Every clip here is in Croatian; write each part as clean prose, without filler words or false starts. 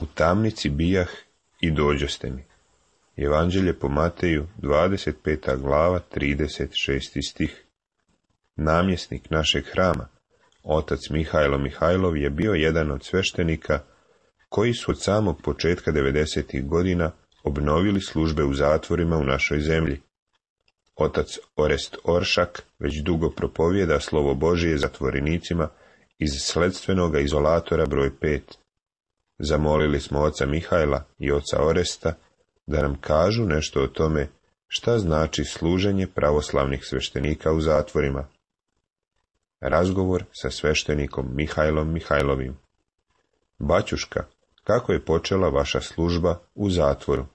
U tamnici bijah i dođoste mi. Evanđelje po Mateju, 25. glava, 36. stih. Namjesnik našeg hrama, otac Mihajlo Mihajlov, je bio jedan od sveštenika koji su od samog početka 90. godina obnovili službe u zatvorima u našoj zemlji. Otac Orest Oršak već dugo propovijeda slovo Božije zatvorenicima iz sledstvenoga izolatora broj 5. Zamolili smo oca Mihajla i oca Oresta da nam kažu nešto o tome šta znači služenje pravoslavnih sveštenika u zatvorima. Razgovor sa sveštenikom Mihajlom Mihajlovim. Baćuška, kako je počela vaša služba u zatvoru?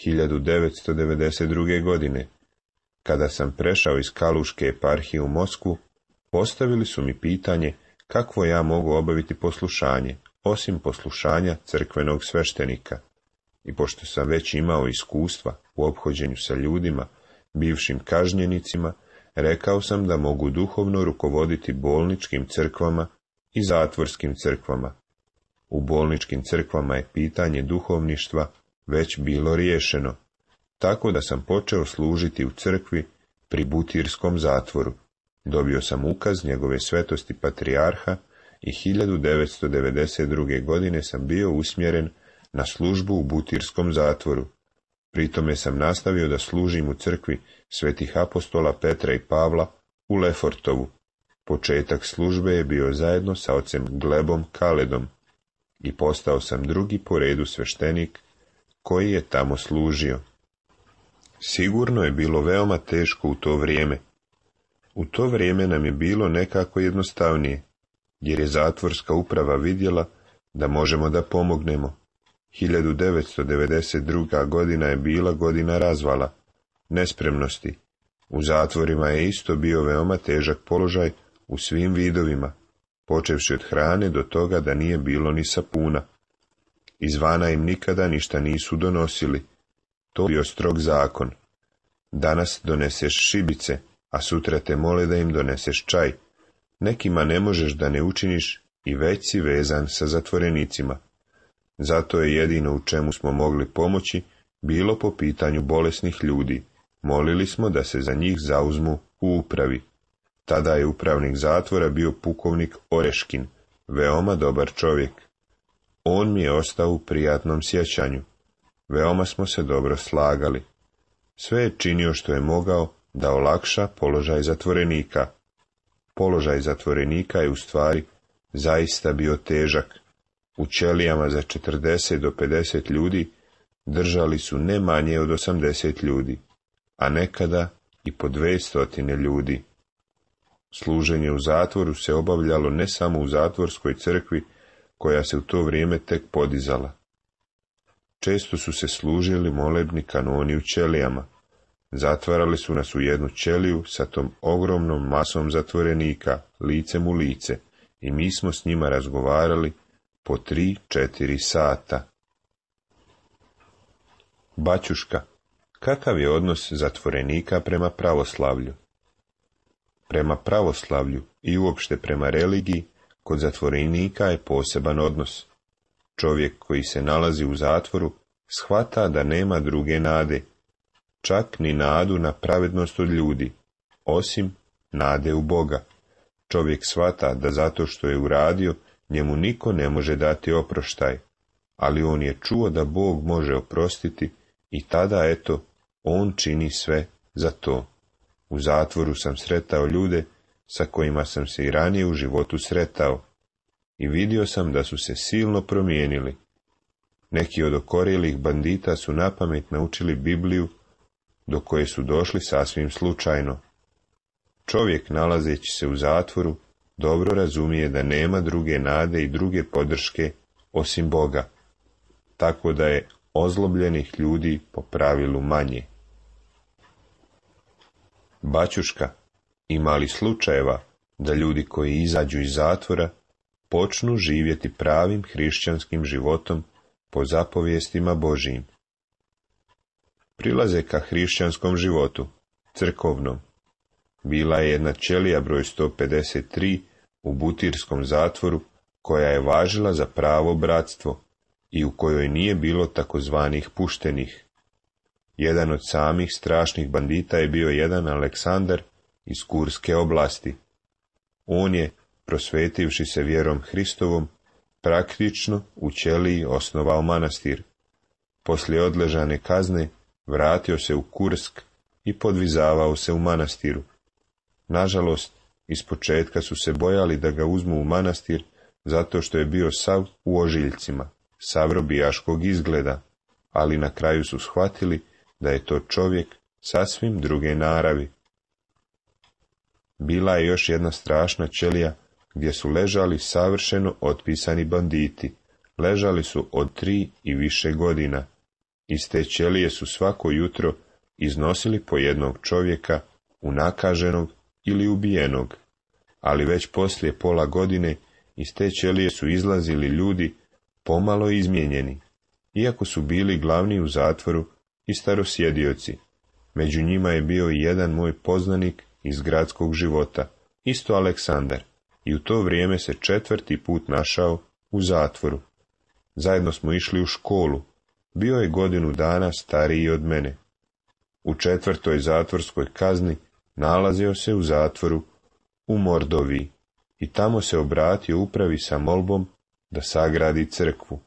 1992. godine, kada sam prešao iz Kaluške eparhije u Moskvu, postavili su mi pitanje kakvo ja mogu obaviti poslušanje, osim poslušanja crkvenog sveštenika. I pošto sam već imao iskustva u ophođenju sa ljudima, bivšim kažnjenicima, rekao sam da mogu duhovno rukovoditi bolničkim crkvama i zatvorskim crkvama. U bolničkim crkvama je pitanje duhovništva već bilo riješeno, tako da sam počeo služiti u crkvi pri Butirskom zatvoru. Dobio sam ukaz njegove svetosti patrijarha i 1992. godine sam bio usmjeren na službu u Butirskom zatvoru. Pritome sam nastavio da služim u crkvi svetih apostola Petra i Pavla u Lefortovu. Početak službe je bio zajedno sa ocem Glebom Kaledom i postao sam drugi po redu sveštenik koji je tamo služio. Sigurno je bilo veoma teško u to vrijeme. U to vrijeme nam je bilo nekako jednostavnije, jer je zatvorska uprava vidjela da možemo da pomognemo. 1992. godina je bila godina razvala, nespremnosti. U zatvorima je isto bio veoma težak položaj u svim vidovima, počevši od hrane do toga da nije bilo ni sapuna. Izvana im nikada ništa nisu donosili. To je bio strog zakon. Danas doneseš šibice, a sutra te mole da im doneseš čaj. Nekima ne možeš da ne učiniš i već si vezan sa zatvorenicima. Zato je jedino u čemu smo mogli pomoći bilo po pitanju bolesnih ljudi. Molili smo da se za njih zauzmu u upravi. Tada je upravnik zatvora bio pukovnik Oreškin, veoma dobar čovjek. On mi je ostao u prijatnom sjećanju. Veoma smo se dobro slagali. Sve je činio što je mogao da olakša položaj zatvorenika. Položaj zatvorenika je u stvari zaista bio težak. U ćelijama za 40 do 50 ljudi držali su ne manje od 80 ljudi, a nekada i po 200 ljudi. Služenje u zatvoru se obavljalo ne samo u zatvorskoj crkvi, koja se u to vrijeme tek podizala. Često su se služili molebni kanoni u ćelijama. Zatvarali su nas u jednu ćeliju sa tom ogromnom masom zatvorenika, licem u lice, i mi smo s njima razgovarali po 3-4 sata. Baćuška, kakav je odnos zatvorenika prema pravoslavlju? Prema pravoslavlju i uopšte prema religiji, kod zatvorenika je poseban odnos. Čovjek koji se nalazi u zatvoru shvata da nema druge nade, čak ni nadu na pravednost od ljudi, osim nade u Boga. Čovjek shvata da zato što je uradio, njemu niko ne može dati oproštaj, ali on je čuo da Bog može oprostiti i tada, eto, on čini sve za to. U zatvoru sam sretao ljude sa kojima sam se i ranije u životu sretao i vidio sam da su se silno promijenili. Neki od okorjelih bandita su napamet naučili Bibliju, do koje su došli sasvim slučajno. Čovjek, nalazeći se u zatvoru, dobro razumije da nema druge nade i druge podrške osim Boga, tako da je ozlobljenih ljudi po pravilu manje. Baćuška, ima li slučajeva da ljudi koji izađu iz zatvora počnu živjeti pravim hrišćanskim životom po zapovijestima Božijim? Prilaze ka hrišćanskom životu, crkovnom. Bila je jedna ćelija broj 153 u Butirskom zatvoru, koja je važila za pravo bratstvo i u kojoj nije bilo takozvanih puštenih. Jedan od samih strašnih bandita je bio jedan Aleksandar iz Kurske oblasti. On je, prosvetivši se vjerom Hristovom, praktično u ćeliji osnovao manastir. Poslije odležane kazne vratio se u Kursk i podvizavao se u manastiru. Nažalost, ispočetka su se bojali da ga uzmu u manastir zato što je bio sav u ožiljcima, sav robijaškog izgleda, ali na kraju su shvatili da je to čovjek sasvim druge naravi. Bila je još jedna strašna ćelija gdje su ležali savršeno otpisani banditi. Ležali su od 3 i više godina. Iz te ćelije su svako jutro iznosili po jednog čovjeka, unakaženog ili ubijenog, ali već poslije pola godine iz te ćelije su izlazili ljudi pomalo izmijenjeni, iako su bili glavni u zatvoru i starosjedioci. Među njima je bio i jedan moj poznanik iz gradskog života, isto Aleksandar, i u to vrijeme se 4. put našao u zatvoru. Zajedno smo išli u školu. Bio je godinu dana stariji od mene. U 4. zatvorskoj kazni nalazio se u zatvoru u Mordoviji. i tamo se obratio upravi sa molbom da sagradi crkvu.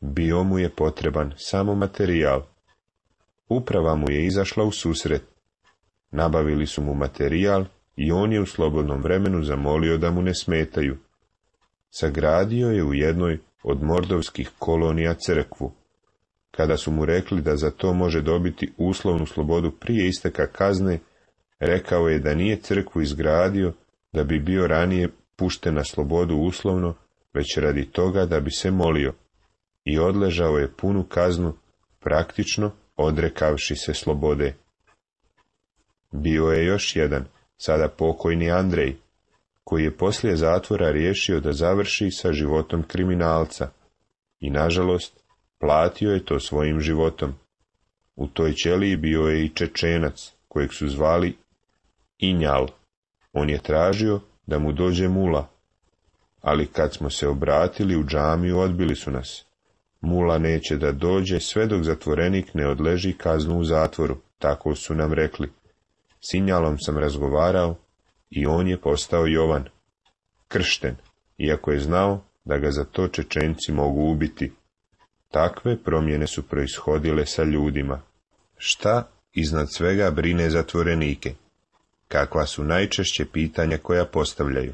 Bio mu je potreban samo materijal. Uprava mu je izašla u susret. Nabavili su mu materijal i on je u slobodnom vremenu zamolio da mu ne smetaju. Sagradio je u jednoj od mordovskih kolonija crkvu. Kada su mu rekli da za to može dobiti uslovnu slobodu prije isteka kazne, rekao je da nije crkvu izgradio da bi bio ranije pušten na slobodu uslovno, već radi toga da bi se molio, i odležao je punu kaznu, praktično odrekavši se slobode. Bio je još jedan, sada pokojni Andrej, koji je poslije zatvora riješio da završi sa životom kriminalca i, nažalost, platio je to svojim životom. U toj ćeliji bio je i Čečenac, kojeg su zvali Injal. On je tražio da mu dođe mula, ali kad smo se obratili u džamiju, odbili su nas. Mula neće da dođe sve dok zatvorenik ne odleži kaznu u zatvoru, tako su nam rekli. S Injalom sam razgovarao i on je postao Jovan, kršten, iako je znao da ga za to Čečenci mogu ubiti. Takve promjene su proishodile sa ljudima. Šta iznad svega brine zatvorenike? Kakva su najčešće pitanja koja postavljaju?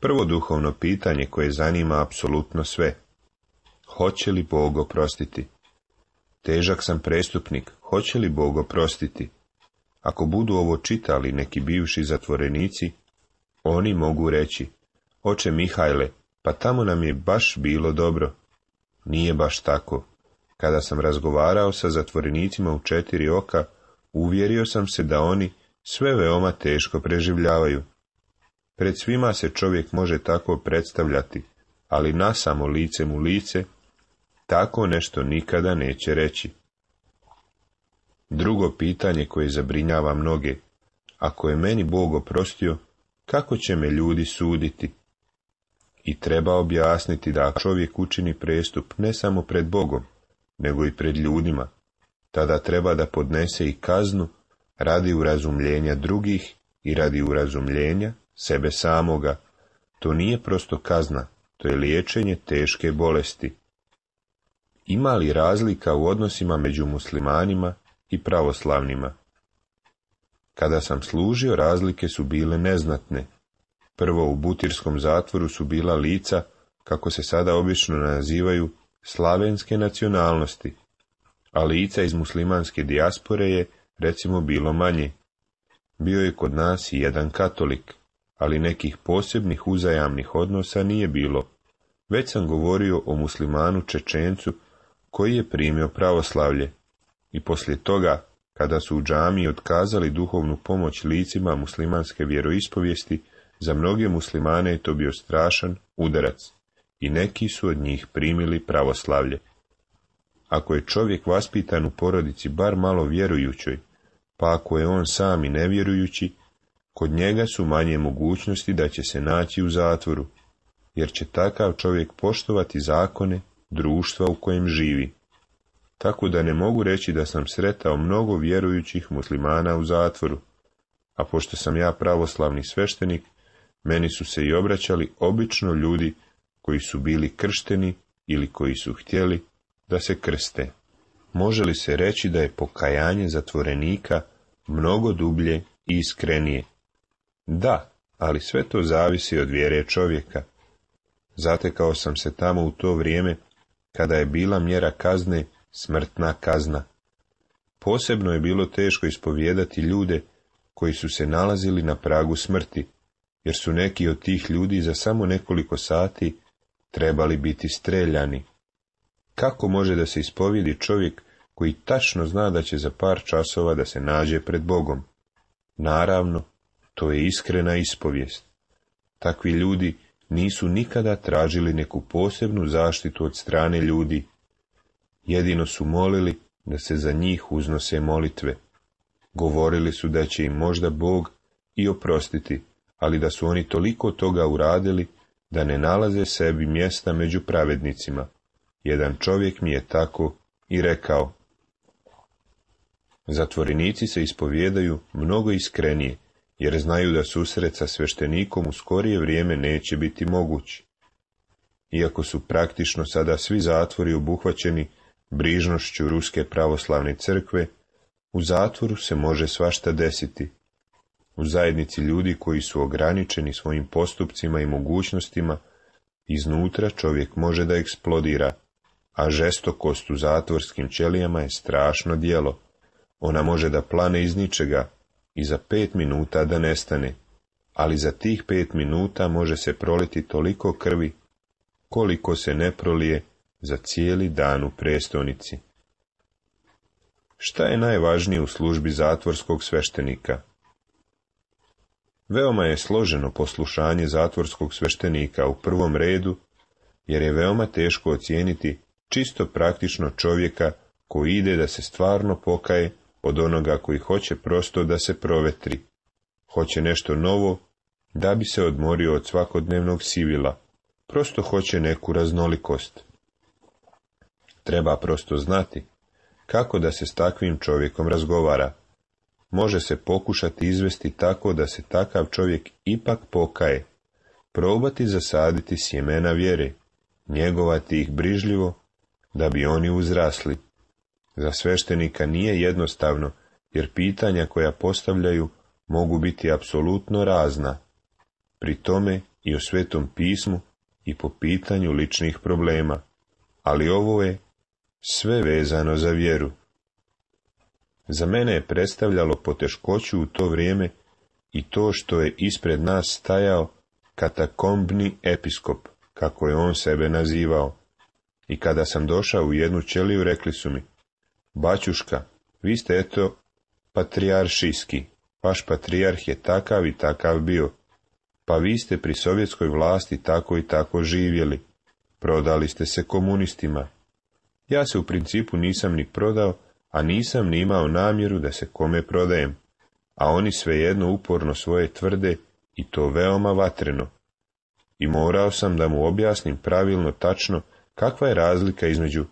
Prvo duhovno pitanje koje zanima apsolutno sve. Hoće li Bog oprostiti? Težak sam prestupnik, hoće li Bog oprostiti? Ako budu ovo čitali neki bivši zatvorenici, oni mogu reći: Oče Mihajle, pa tamo nam je baš bilo dobro. Nije baš tako. Kada sam razgovarao sa zatvorenicima u 4 oka, uvjerio sam se da oni sve veoma teško preživljavaju. Pred svima se čovjek može tako predstavljati, ali nasamo licem u lice, tako nešto nikada neće reći. Drugo pitanje koje zabrinjava mnoge: ako je meni Bog oprostio, kako će me ljudi suditi? I treba objasniti da ako čovjek učini prestup ne samo pred Bogom, nego i pred ljudima, tada treba da podnese i kaznu radi urazumljenja drugih i radi urazumljenja sebe samoga. To nije prosto kazna, to je liječenje teške bolesti. Ima li razlika u odnosima među muslimanima i pravoslavnima? Kada sam služio, razlike su bile neznatne. Prvo, u butirskom zatvoru su bila lica, kako se sada obično nazivaju, slavenske nacionalnosti, a lica iz muslimanske dijaspore je, recimo, bilo manje. Bio je kod nas i jedan katolik, ali nekih posebnih uzajamnih odnosa nije bilo. Već sam govorio o muslimanu Čečencu koji je primio pravoslavlje, i poslije toga, kada su u džamiji otkazali duhovnu pomoć licima muslimanske vjeroispovijesti, za mnoge muslimane je to bio strašan udarac i neki su od njih primili pravoslavlje. Ako je čovjek vaspitan u porodici bar malo vjerujućoj, pa ako je on sam i nevjerujući, kod njega su manje mogućnosti da će se naći u zatvoru, jer će takav čovjek poštovati zakone društva u kojem živi. Tako da ne mogu reći da sam sretao mnogo vjerujućih muslimana u zatvoru, a pošto sam ja pravoslavni sveštenik, meni su se i obraćali obično ljudi koji su bili kršteni ili koji su htjeli da se krste. Može li se reći da je pokajanje zatvorenika mnogo dublje i iskrenije? Da, ali sve to zavisi od vjere čovjeka. Zatekao sam se tamo u to vrijeme kada je bila mjera kazne smrtna kazna. Posebno je bilo teško ispovijedati ljude koji su se nalazili na pragu smrti, jer su neki od tih ljudi za samo nekoliko sati trebali biti streljani. Kako može da se ispovijedi čovjek koji tačno zna da će za par časova da se nađe pred Bogom? Naravno, to je iskrena ispovijest. Takvi ljudi nisu nikada tražili neku posebnu zaštitu od strane ljudi. Jedino su molili da se za njih uznose molitve. Govorili su da će im možda Bog i oprostiti, ali da su oni toliko toga uradili da ne nalaze sebi mjesta među pravednicima. Jedan čovjek mi je tako i rekao: zatvorenici se ispovijedaju mnogo iskrenije jer znaju da susret sa sveštenikom u skorije vrijeme neće biti moguć. Iako su praktično sada svi zatvori obuhvaćeni brižnošću Ruske pravoslavne crkve, u zatvoru se može svašta desiti. U zajednici ljudi koji su ograničeni svojim postupcima i mogućnostima, iznutra čovjek može da eksplodira, a žestokost u zatvorskim ćelijama je strašno djelo. Ona može da plane iz ničega i za 5 minuta da nestane, ali za tih 5 minuta može se proliti toliko krvi, koliko se ne prolije za cijeli dan u prestonici. Šta je najvažnije u službi zatvorskog sveštenika? Veoma je složeno poslušanje zatvorskog sveštenika u prvom redu, jer je veoma teško ocijeniti čisto praktično čovjeka koji ide da se stvarno pokaje od onoga koji hoće prosto da se provetri. Hoće nešto novo da bi se odmorio od svakodnevnog sivila, prosto hoće neku raznolikost. Treba prosto znati kako da se s takvim čovjekom razgovara. Može se pokušati izvesti tako da se takav čovjek ipak pokaje, probati zasaditi sjemena vjere, njegovati ih brižljivo, da bi oni uzrasli. Za sveštenika nije jednostavno, jer pitanja koja postavljaju mogu biti apsolutno razna, pri tome i o Svetom pismu i po pitanju ličnih problema, ali ovo je sve vezano za vjeru. Za mene je predstavljalo poteškoću u to vrijeme i to što je ispred nas stajao katakombni episkop, kako je on sebe nazivao. I kada sam došao u jednu ćeliju, rekli su mi: baćuška, vi ste eto patrijaršijski, vaš patrijarh je takav i takav bio, pa vi ste pri sovjetskoj vlasti tako i tako živjeli, prodali ste se komunistima. Ja se u principu nisam ni prodao, a nisam ni imao namjeru da se kome prodajem, a oni svejedno uporno svoje tvrde i to veoma vatreno. I morao sam da mu objasnim pravilno tačno kakva je razlika između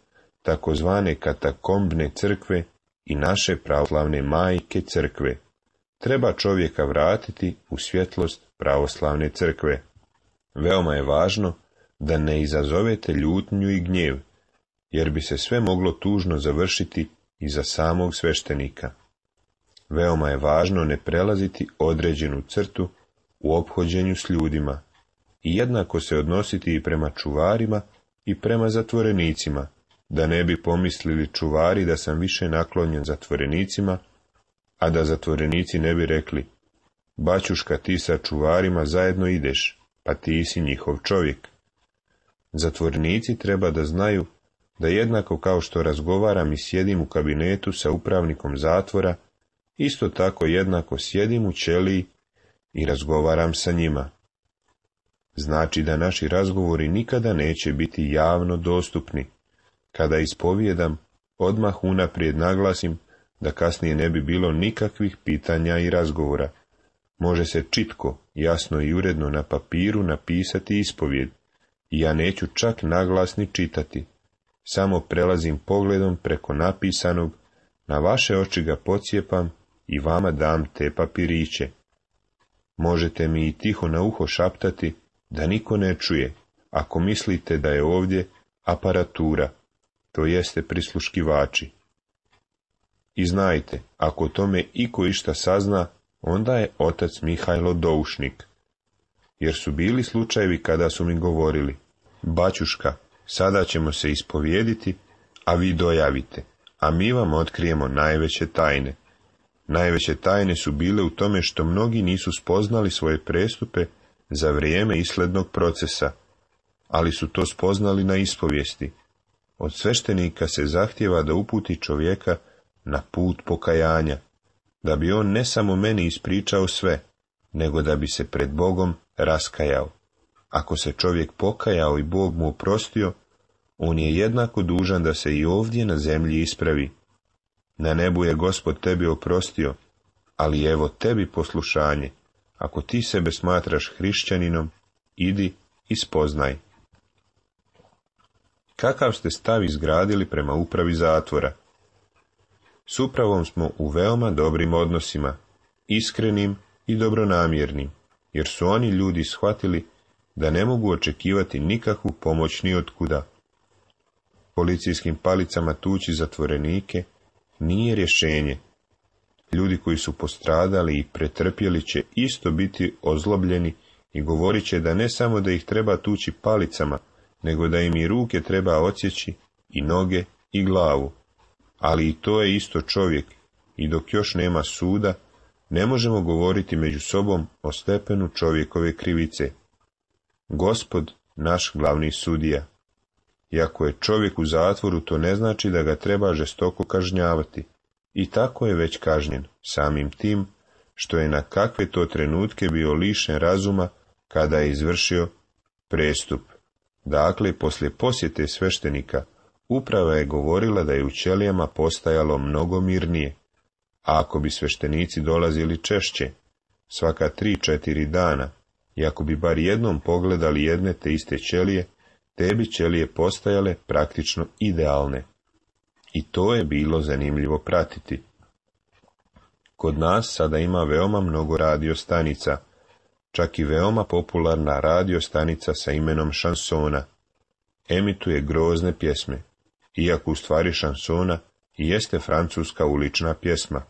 takozvane katakombne crkve i naše pravoslavne majke crkve. Treba čovjeka vratiti u svjetlost pravoslavne crkve. Veoma je važno da ne izazovete ljutnju i gnjev, jer bi se sve moglo tužno završiti i za samog sveštenika. Veoma je važno ne prelaziti određenu crtu u ophođenju s ljudima i jednako se odnositi i prema čuvarima i prema zatvorenicima, da ne bi pomislili čuvari da sam više naklonjen zatvorenicima, a da zatvorenici ne bi rekli: baćuška, ti sa čuvarima zajedno ideš, pa ti si njihov čovjek. Zatvorenici treba da znaju da jednako kao što razgovaram i sjedim u kabinetu sa upravnikom zatvora, isto tako jednako sjedim u ćeliji i razgovaram sa njima. Znači da naši razgovori nikada neće biti javno dostupni. Kada ispovijedam, odmah unaprijed naglasim da kasnije ne bi bilo nikakvih pitanja i razgovora. Može se čitko, jasno i uredno na papiru napisati ispovijed, i ja neću čak naglasni čitati. Samo prelazim pogledom preko napisanog, na vaše oči ga pocijepam i vama dam te papiriće. Možete mi i tiho na uho šaptati, da niko ne čuje, ako mislite da je ovdje aparatura, to jeste prisluškivači. I znajte, ako tome iko išta sazna, onda je otac Mihajlo doušnik. Jer su bili slučajevi kada su mi govorili: baćuška, sada ćemo se ispovijediti, a vi dojavite, a mi vam otkrijemo najveće tajne. Najveće tajne su bile u tome što mnogi nisu spoznali svoje prestupe za vrijeme islednog procesa, ali su to spoznali na ispovijesti. Od sveštenika se zahtijeva da uputi čovjeka na put pokajanja, da bi on ne samo meni ispričao sve, nego da bi se pred Bogom raskajao. Ako se čovjek pokajao i Bog mu oprostio, on je jednako dužan da se i ovdje na zemlji ispravi. Na nebu je Gospod tebi oprostio, ali evo tebi poslušanje. Ako ti sebe smatraš hrišćaninom, idi i spoznaj. Kakav ste stav izgradili prema upravi zatvora? S upravom smo u veoma dobrim odnosima, iskrenim i dobronamjernim, jer su oni ljudi shvatili da ne mogu očekivati nikakvu pomoć ni otkuda. Policijskim palicama tući zatvorenike nije rješenje. Ljudi koji su postradali i pretrpjeli će isto biti ozlobljeni i govorit će da ne samo da ih treba tući palicama, nego da im i ruke treba odsjeći, i noge, i glavu. Ali i to je isto čovjek, i dok još nema suda, ne možemo govoriti među sobom o stepenu čovjekove krivice. Gospod, naš glavni sudija. Iako je čovjek u zatvoru, to ne znači da ga treba žestoko kažnjavati. I tako je već kažnjen, samim tim što je na kakve to trenutke bio lišen razuma kada je izvršio prestup. Dakle, poslije posjete sveštenika, uprava je govorila da je u ćelijama postajalo mnogo mirnije. A ako bi sveštenici dolazili češće, svaka 3-4 dana, i ako bi bar jednom pogledali jedne te iste ćelije, te bi ćelije postajale praktično idealne. I to je bilo zanimljivo pratiti. Kod nas sada ima veoma mnogo radiostanica, čak i veoma popularna radiostanica sa imenom Šansona. Emituje grozne pjesme, iako u stvari šansona i jeste francuska ulična pjesma.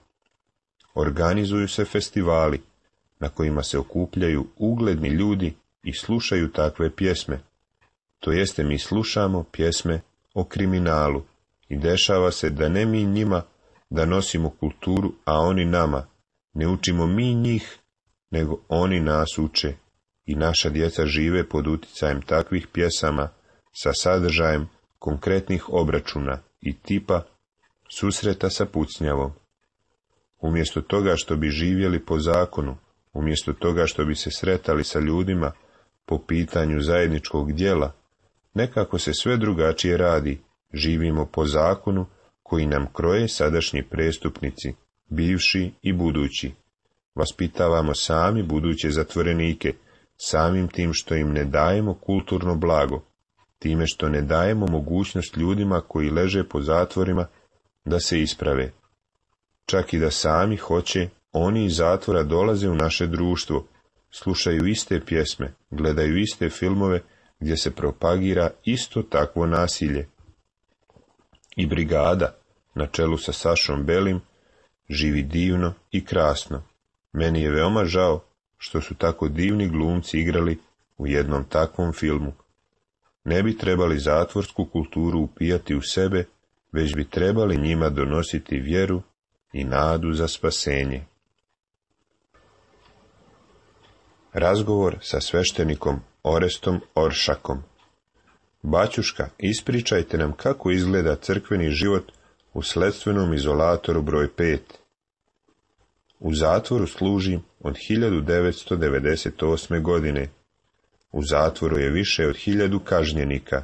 Organizuju se festivali, na kojima se okupljaju ugledni ljudi i slušaju takve pjesme. To jeste, mi slušamo pjesme o kriminalu i dešava se da ne mi njima da nosimo kulturu, a oni nama. Ne učimo mi njih, nego oni nas uče i naša djeca žive pod uticajem takvih pjesama sa sadržajem konkretnih obračuna i tipa susreta sa pucnjavom. Umjesto toga što bi živjeli po zakonu, umjesto toga što bi se sretali sa ljudima po pitanju zajedničkog djela, nekako se sve drugačije radi, živimo po zakonu koji nam kroje sadašnji prestupnici, bivši i budući. Vaspitavamo sami buduće zatvorenike, samim tim što im ne dajemo kulturno blago, time što ne dajemo mogućnost ljudima koji leže po zatvorima da se isprave. Čak i da sami hoće, oni iz zatvora dolaze u naše društvo, slušaju iste pjesme, gledaju iste filmove gdje se propagira isto takvo nasilje. I brigada, na čelu sa Sašom Belim, živi divno i krasno. Meni je veoma žao što su tako divni glumci igrali u jednom takvom filmu. Ne bi trebali zatvorsku kulturu upijati u sebe, već bi trebali njima donositi vjeru i nadu za spasenje. Razgovor sa sveštenikom Orestom Oršakom. Baćuška, ispričajte nam kako izgleda crkveni život u sledstvenom izolatoru broj 5. U zatvoru služim od 1998. godine. U zatvoru je više od 1000 kažnjenika.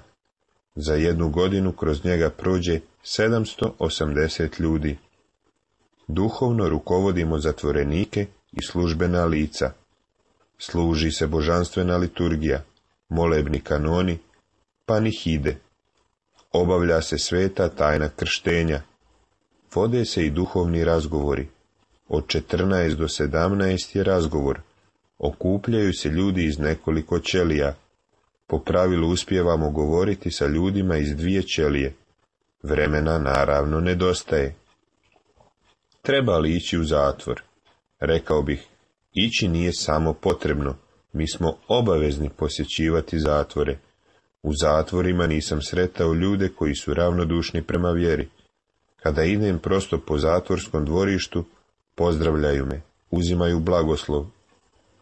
Za 1 godinu kroz njega prođe 780 ljudi. Duhovno rukovodimo zatvorenike i službena lica. Služi se božanstvena liturgija, molebni kanoni, panihide. Obavlja se sveta tajna krštenja. Vode se i duhovni razgovori. Od 14 do 17 je razgovor. Okupljaju se ljudi iz nekoliko ćelija. Po pravilu uspijevamo govoriti sa ljudima iz 2 ćelije. Vremena naravno nedostaje. Treba li ići u zatvor? Rekao bih, ići nije samo potrebno, mi smo obavezni posjećivati zatvore. U zatvorima nisam sretao ljude koji su ravnodušni prema vjeri. Kada idem prosto po zatvorskom dvorištu, pozdravljaju me, uzimaju blagoslov.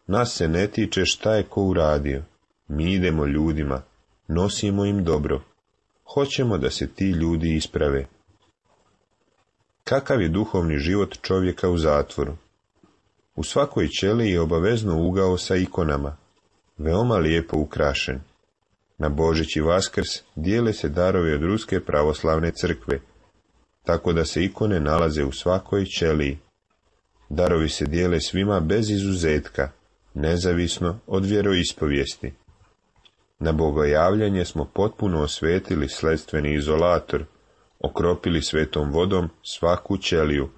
Nas se ne tiče šta je ko uradio. Mi idemo ljudima, nosimo im dobro. Hoćemo da se ti ljudi isprave. Kakav je duhovni život čovjeka u zatvoru? U svakoj ćeliji je obavezno ugao sa ikonama, veoma lijepo ukrašen. Na Božić i Vaskrs dijele se darovi od Ruske pravoslavne crkve, tako da se ikone nalaze u svakoj ćeliji. Darovi se dijele svima bez izuzetka, nezavisno od vjeroispovijesti. Na bogojavljanje smo potpuno osvetili sledstveni izolator, okropili svetom vodom svaku ćeliju.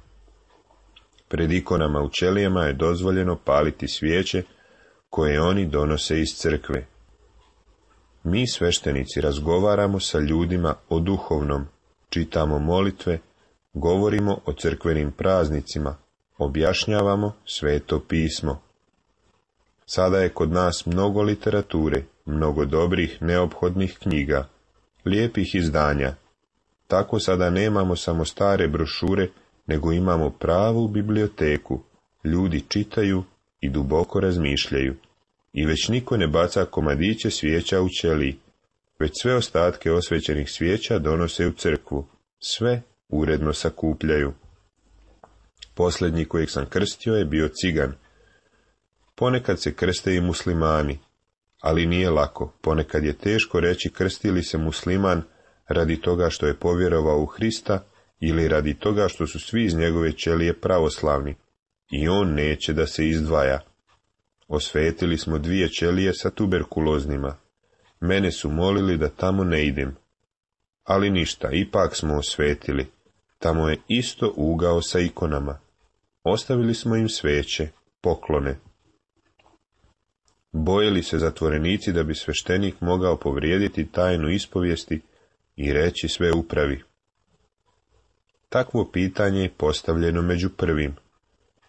Pred ikonama u ćelijama je dozvoljeno paliti svijeće koje oni donose iz crkve. Mi sveštenici razgovaramo sa ljudima o duhovnom, čitamo molitve, govorimo o crkvenim praznicima, objašnjavamo Sveto pismo. Sada je kod nas mnogo literature, mnogo dobrih, neophodnih knjiga, lijepih izdanja. Tako sada nemamo samo stare brošure, nego imamo pravu biblioteku. Ljudi čitaju i duboko razmišljaju. I već niko ne baca komadiće svijeća u ćeliji, već sve ostatke osvećenih svijeća donose u crkvu. Sve uredno sakupljaju. Posljednji kojeg sam krstio je bio cigan. Ponekad se krste i muslimani, ali nije lako. Ponekad je teško reći krsti li se musliman radi toga što je povjerovao u Hrista ili radi toga što su svi iz njegove ćelije pravoslavni i on neće da se izdvaja. Osvetili smo 2 ćelije sa tuberkuloznima. Mene su molili da tamo ne idem. Ali ništa, ipak smo osvetili. Tamo je isto ugao sa ikonama. Ostavili smo im sveće, poklone. Bojili se zatvorenici da bi sveštenik mogao povrijediti tajnu ispovijesti i reći sve upravi. Takvo pitanje je postavljeno među prvim.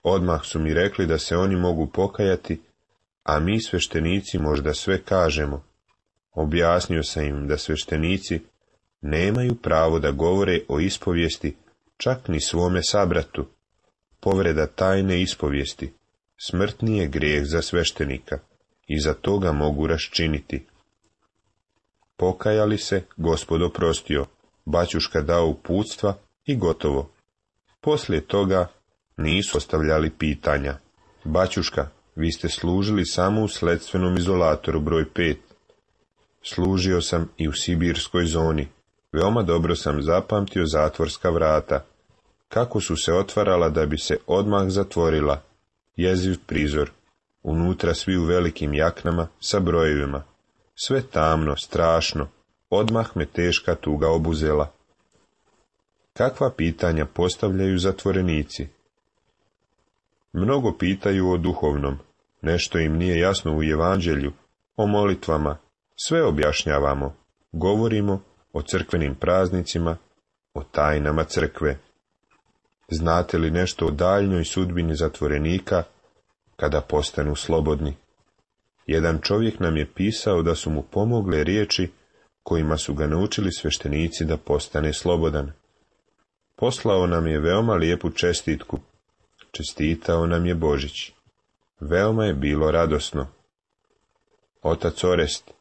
Odmah su mi rekli da se oni mogu pokajati, a mi sveštenici možda sve kažemo. Objasnio sam im da sveštenici nemaju pravo da govore o ispovijesti čak ni svome sabratu. Povreda tajne ispovijesti smrtni je grijeh za sveštenika i za to ga mogu raščiniti. Pokajali se, Gospod oprostio, baćuška dao uputstva i gotovo. Poslije toga nisu ostavljali pitanja. Baćuška, vi ste služili samo u sledstvenom izolatoru broj 5. Služio sam i u sibirskoj zoni. Veoma dobro sam zapamtio zatvorska vrata. Kako su se otvarala da bi se odmah zatvorila. Jeziv prizor. Unutra svi u velikim jaknama sa brojevima. Sve tamno, strašno. Odmah me teška tuga obuzela. Kakva pitanja postavljaju zatvorenici? Mnogo pitaju o duhovnom. Nešto im nije jasno u evanđelju, o molitvama. Sve objašnjavamo. Govorimo o crkvenim praznicima, o tajnama crkve. Znate li nešto o daljnjoj sudbini zatvorenika kada postanu slobodni? Jedan čovjek nam je pisao da su mu pomogle riječi kojima su ga naučili sveštenici da postane slobodan. Poslao nam je veoma lijepu čestitku. Čestitao nam je Božić. Veoma je bilo radosno. Otac Orest,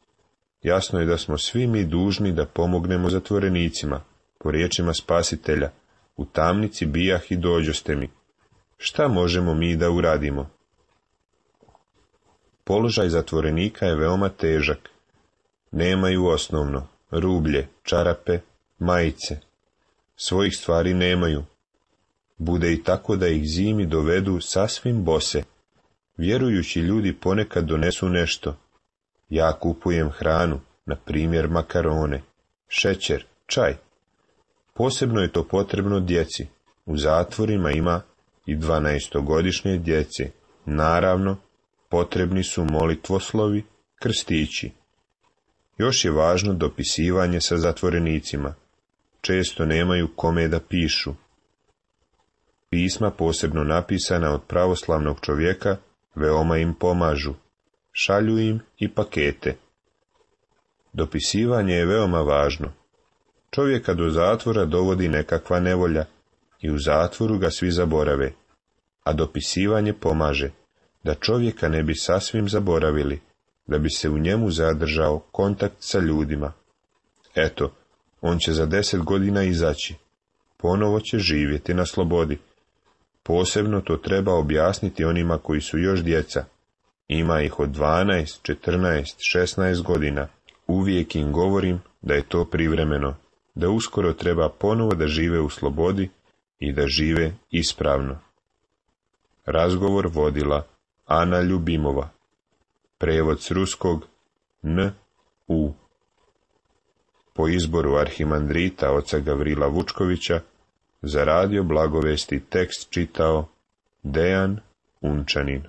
jasno je da smo svi mi dužni da pomognemo zatvorenicima, po riječima Spasitelja, u tamnici bijah i dođoste mi. Šta možemo mi da uradimo? Položaj zatvorenika je veoma težak. Nemaju osnovno, rublje, čarape, majice. Svojih stvari nemaju. Bude i tako da ih zimi dovedu sasvim bose. Vjerujući ljudi ponekad donesu nešto. Ja kupujem hranu, na primjer makarone, šećer, čaj. Posebno je to potrebno djeci. U zatvorima ima i 12-godišnje djece. Naravno, potrebni su molitvoslovi, krstići. Još je važno dopisivanje sa zatvorenicima. Često nemaju kome da pišu. Pisma, posebno napisana od pravoslavnog čovjeka, veoma im pomažu. Šalju im i pakete. Dopisivanje je veoma važno. Čovjeka do zatvora dovodi nekakva nevolja i u zatvoru ga svi zaborave, a dopisivanje pomaže da čovjeka ne bi sasvim zaboravili, da bi se u njemu zadržao kontakt sa ljudima. Eto, on će za 10 godina izaći, ponovo će živjeti na slobodi. Posebno to treba objasniti onima koji su još djeca. Ima ih od 12, 14, 16 godina. Uvijek im govorim da je to privremeno, da uskoro treba ponovo da žive u slobodi i da žive ispravno. Razgovor vodila Ana Ljubimova. Prevod s ruskog N.U. Po izboru arhimandrita oca Gavrila Vučkovića za radio Blagovesti tekst čitao Dejan Unčanin.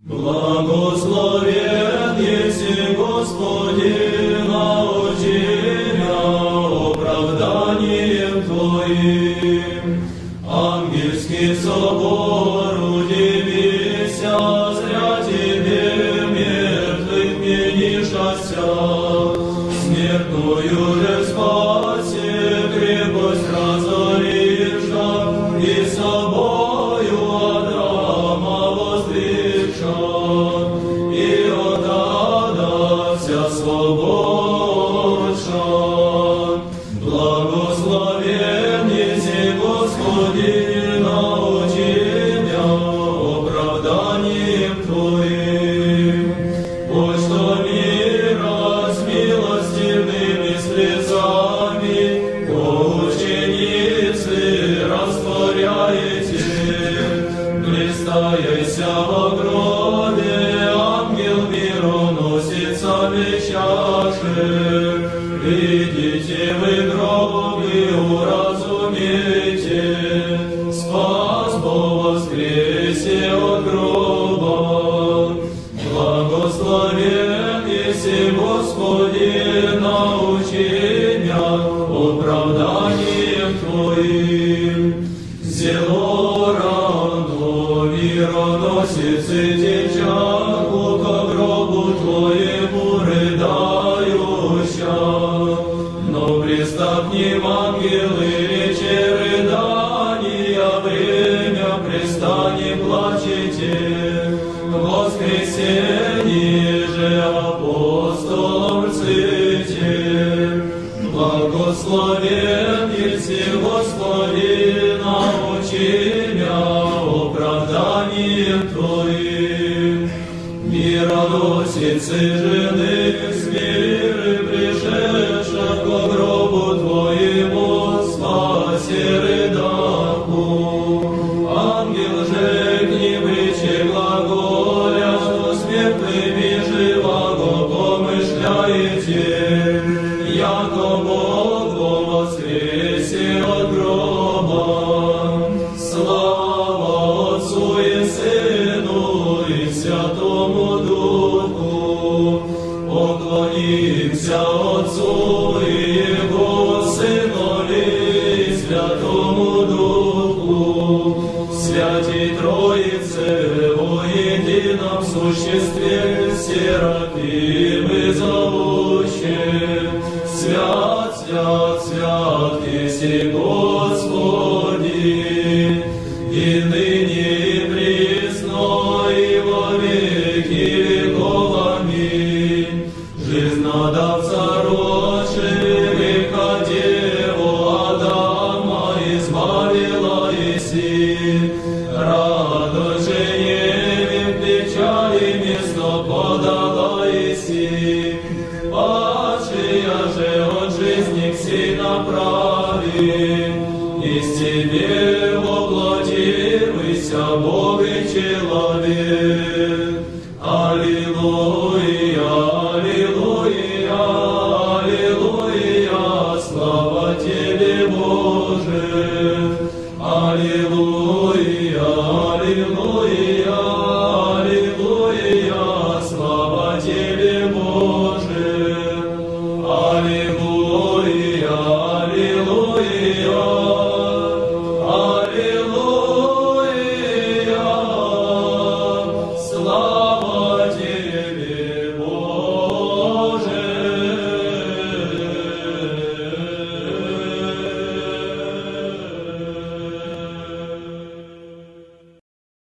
Благословен еси, Господи, научи меня оправданием Твоим. Ангельский собор, удивися, зря Тебе мертвых менишася. Смертную же спаси, крепость разориша, и собою Адрама воздвигша, и отдадася свободша. Благословен еси, Господи, научи меня оправданием Твоим. Пусть что мира с милостивыми слезами по ученицы растворяете. Блистаяся во гробе, ангел мироносицами чаши. Видите вы гробы, уразумейте, спас Бог воскресе от гроба. Благословен еси, Господи, научи меня оправданием Твоим. Зело рано мироносицы течаку ко гробу Твоему рыдающа. Но пристав к ним ангелы, рече рыдания, время пристани плачете. Воскресенье же апостолом рците. Благословен еси, Господи, научи меня оправданием Твоим. Мироносицы жены с миры пришедша ко гробу Твоему спаси рыдаку. Ангел же к ним рече глаголя, что смертными живаго помышляете, яко Бог во воскресе от гроба. Слава Отцу и Сыну и Святому Духу. Поклонимся Отцу и Его Сынові и Святому Духу. Святій Троице во едином существе, серафимы зовуще. Свят, свят, свят, еси Господи, и ныне и присно и во веки веков. Аминь. Жизнодавца рожи, греха Деву Адама избавила еси. Радость же невим печали место подала еси. Падшая же от жизни к сей направи. Из Тебе воплотивайся, Бог и человек. Аллилуйя.